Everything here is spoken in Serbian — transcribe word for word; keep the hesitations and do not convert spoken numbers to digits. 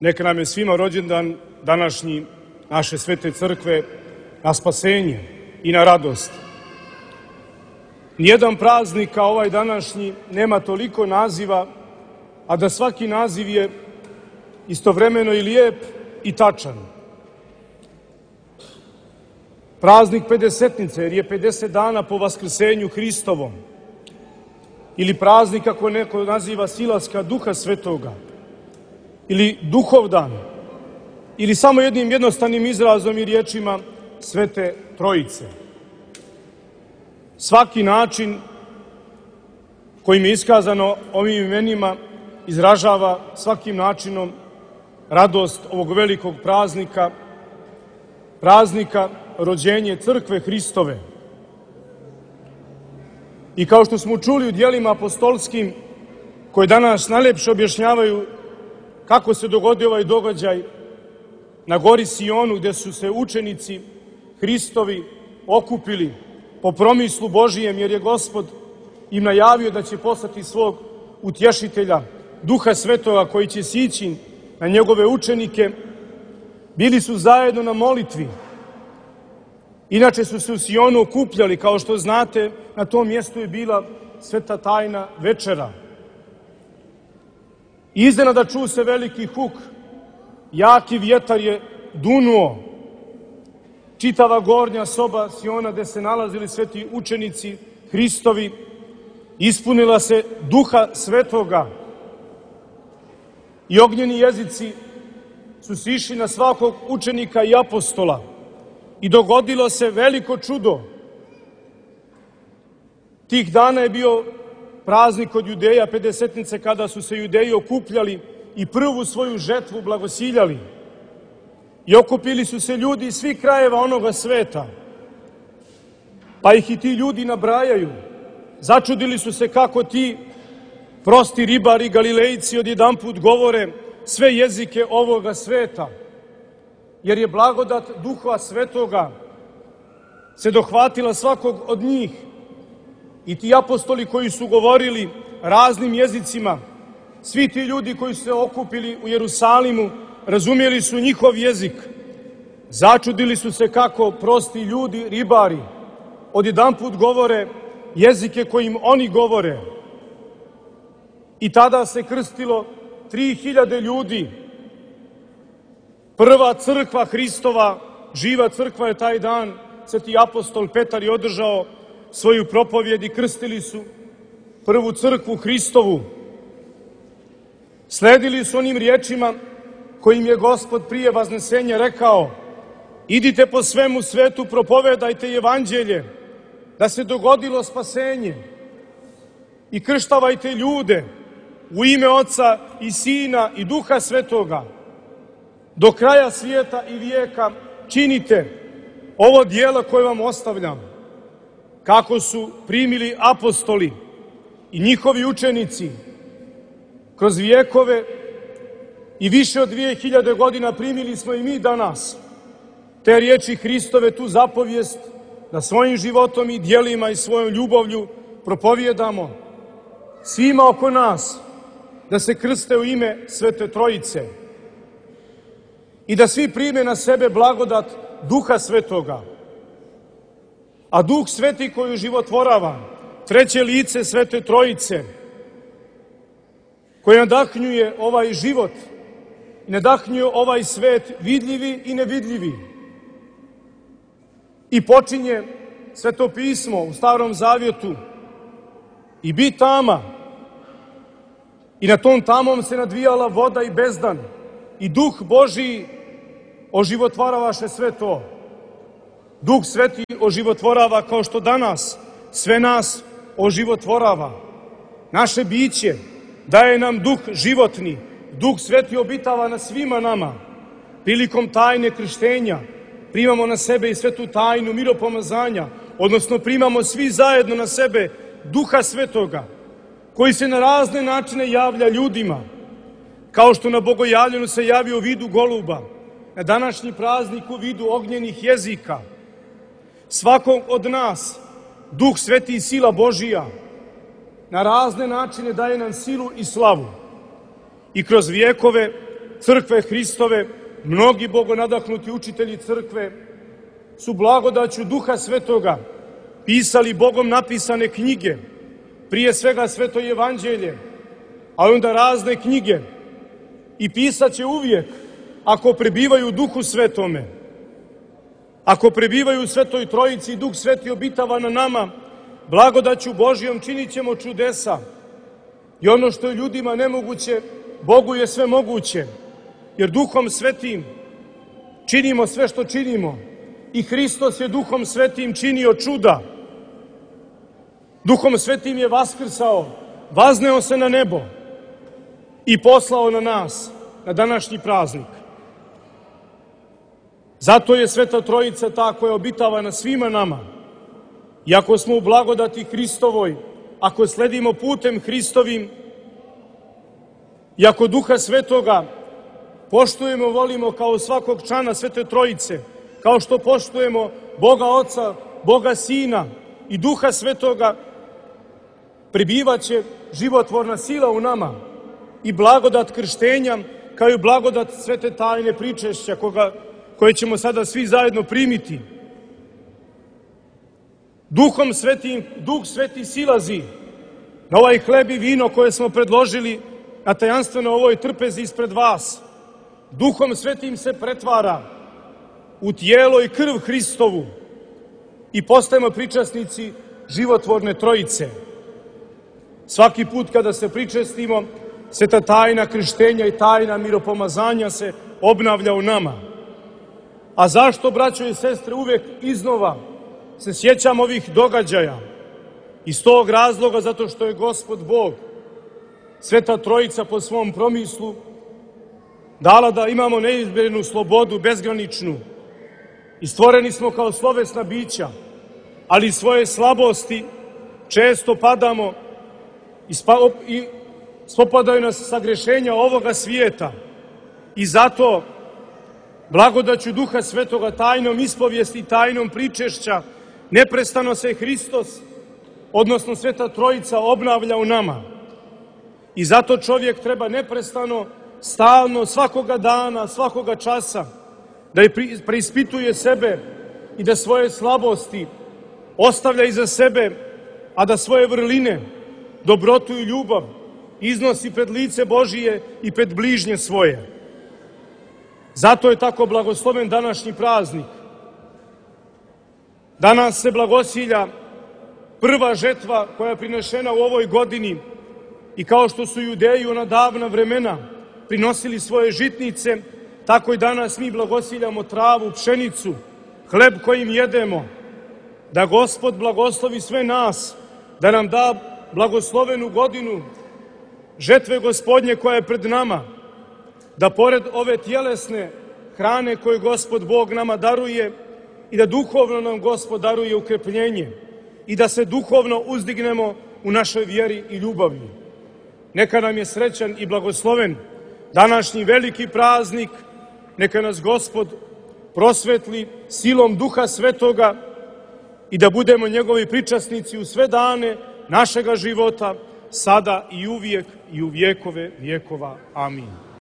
Neka nam je svima rođendan današnji naše svete crkve na spasenje i na radost. Nijedan praznik kao ovaj današnji nema toliko naziva, a da svaki naziv je istovremeno i lijep i tačan. Praznik Pedesetnice, jer je pedeset dana po vaskrsenju Hristovom. Ili praznik, kako neko naziva, silaska Duha Svetoga. Ili Duhovdan. Ili samo jednim jednostavnim izrazom i riječima Svete Trojice. Svaki način kojim je iskazano ovim imenima izražava svakim načinom radost ovog velikog praznika, praznika rođenje Crkve Hristove. I kao što smo čuli u djelima apostolskim, koje danas najlepše objašnjavaju kako se dogodio ovaj događaj na gori Sionu, gde su se učenici Hristovi okupili po promislu Božijem, jer je Gospod im najavio da će poslati svog utješitelja, Duha Svetoga, koji će sići na njegove učenike. Bili su zajedno na molitvi. Inače su se u Sionu okupljali, kao što znate, na tom mjestu je bila sveta tajna večera. Iznenada čuo se veliki huk, jaki vjetar je dunuo. Čitava gornja soba Siona, gde se nalazili sveti učenici Hristovi, ispunila se Duha Svetoga. I ognjeni jezici su sišli na svakog učenika i apostola. I dogodilo se veliko čudo. Tih dana je bio praznik od Judeja, Pedesetnice, kada su se Judeji okupljali i prvu svoju žetvu blagosiljali. I okupili su se ljudi iz svih krajeva onoga sveta. Pa ih i ti ljudi nabrajaju. Začudili su se kako ti prosti ribari, Galilejci, odjedanput govore sve jezike ovoga sveta. Jer je blagodat Duha Svetoga se dohvatila svakog od njih. I ti apostoli koji su govorili raznim jezicima, svi ti ljudi koji su se okupili u Jerusalimu, razumjeli su njihov jezik. Začudili su se kako prosti ljudi, ribari, odjedanput govore jezike kojim oni govore. I tada se krstilo tri hiljade ljudi. Prva crkva Hristova, živa crkva je taj dan, sveti apostol Petar je održao svoju propovjed i krstili su prvu crkvu Hristovu. Sledili su onim riječima kojim je Gospod prije vaznesenja rekao: idite po svemu svetu, propovedajte evanđelje, da se dogodilo spasenje, i krštavajte ljude u ime Oca i Sina i Duha Svetoga. Do kraja svijeta i vijeka činite ovo djelo koje vam ostavljam. Kako su primili apostoli i njihovi učenici kroz vijekove i više od dvije hiljade godina, primili smo i mi danas te riječi Hristove, tu zapovijest, da svojim životom i djelima i svojom ljubavlju propovijedamo svima oko nas da se krste u ime Svete Trojice i da svi prime na sebe blagodat Duha Svetoga. A Duh Sveti koji životvorava, treće lice Svete Trojice, koje nadahnjuje ovaj život i nadahnjuje ovaj svet, vidljivi i nevidljivi. I počinje Sveto pismo u Starom Zavjetu: i bi tama. I na tom tamom se nadvijala voda i bezdan. I Duh Božiji oživotvaravaše sve to. Duh Sveti oživotvorava, kao što danas sve nas oživotvorava. Naše biće daje nam duh životni. Duh Sveti obitava na svima nama. Prilikom tajne krštenja primamo na sebe i svetu tajnu miropomazanja, odnosno primamo svi zajedno na sebe Duha Svetoga, koji se na razne načine javlja ljudima, kao što na bogojavljenju se javio u vidu goluba, na današnji praznik u vidu ognjenih jezika. Svakog od nas Duh Sveti i sila Božija na razne načine daje nam silu i slavu. I kroz vijekove crkve Hristove, mnogi bogonadahnuti učitelji crkve su blagodaću Duha Svetoga pisali Bogom napisane knjige, prije svega Sveto Evanđelje, a onda razne knjige, i pisat će uvijek ako prebivaju u Duhu Svetome. Ako prebivaju u Svetoj Trojici i Duh Sveti obitava na nama, blagodaću Božijom činit ćemo čudesa. I ono što je ljudima nemoguće, Bogu je sve moguće, jer Duhom Svetim činimo sve što činimo. I Hristos je Duhom Svetim činio čuda. Duhom Svetim je vaskrsao, vazneo se na nebo i poslao na nas, na današnji praznik. Zato je Sveta Trojica ta koja obitava na svima nama. I ako smo u blagodati Hristovoj, ako sledimo putem Hristovim, i ako Duha Svetoga poštujemo, volimo kao svakog člana Svete Trojice, kao što poštujemo Boga Oca, Boga Sina i Duha Svetoga, prebivaće životvorna sila u nama i blagodat krštenja, kao i blagodat svete tajne pričešća, koga, koje ćemo sada svi zajedno primiti. Duhom Svetim, Duh Sveti silazi na ovaj hleb i vino koje smo predložili na tajanstveno ovoj trpezi ispred vas. Duhom Svetim se pretvara u tijelo i krv Hristovu i postajemo pričasnici životvorne Trojice. Svaki put kada se pričestimo, sveta tajna krštenja i tajna miropomazanja se obnavlja u nama. A zašto, braćo i sestre, uvek iznova se sjećam ovih događaja? Iz tog razloga zato što je Gospod Bog, Sveta Trojica po svom promislu, dala da imamo neizmjernu slobodu, bezgraničnu. I stvoreni smo kao slovesna bića, ali svoje slabosti često padamo i, spa, i spopadaju nas sagrešenja ovoga svijeta. I zato blagodaću Duha Svetoga, tajnom ispovijesti, tajnom pričešća, neprestano se Hristos, odnosno Sveta Trojica, obnavlja u nama. I zato čovjek treba neprestano, stalno, svakoga dana, svakoga časa, da preispituje sebe i da svoje slabosti ostavlja iza sebe, a da svoje vrline, dobrotu i ljubav iznosi pred lice Božije i pred bližnje svoje. Zato je tako blagosloven današnji praznik. Danas se blagosilja prva žetva koja je prinešena u ovoj godini, i kao što su Judeji u ona davna vremena prinosili svoje žitnice, tako i danas mi blagosiljamo travu, pšenicu, hleb kojim jedemo. Da Gospod blagoslovi sve nas, da nam da blagoslovenu godinu žetve Gospodnje koja je pred nama, da pored ove tjelesne hrane koju Gospod Bog nama daruje, i da duhovno nam Gospod daruje ukrepljenje i da se duhovno uzdignemo u našoj vjeri i ljubavi. Neka nam je srećan i blagosloven današnji veliki praznik, neka nas Gospod prosvetli silom Duha Svetoga i da budemo njegovi pričasnici u sve dane našega života, sada i uvijek i u vjekove vjekova. Amin.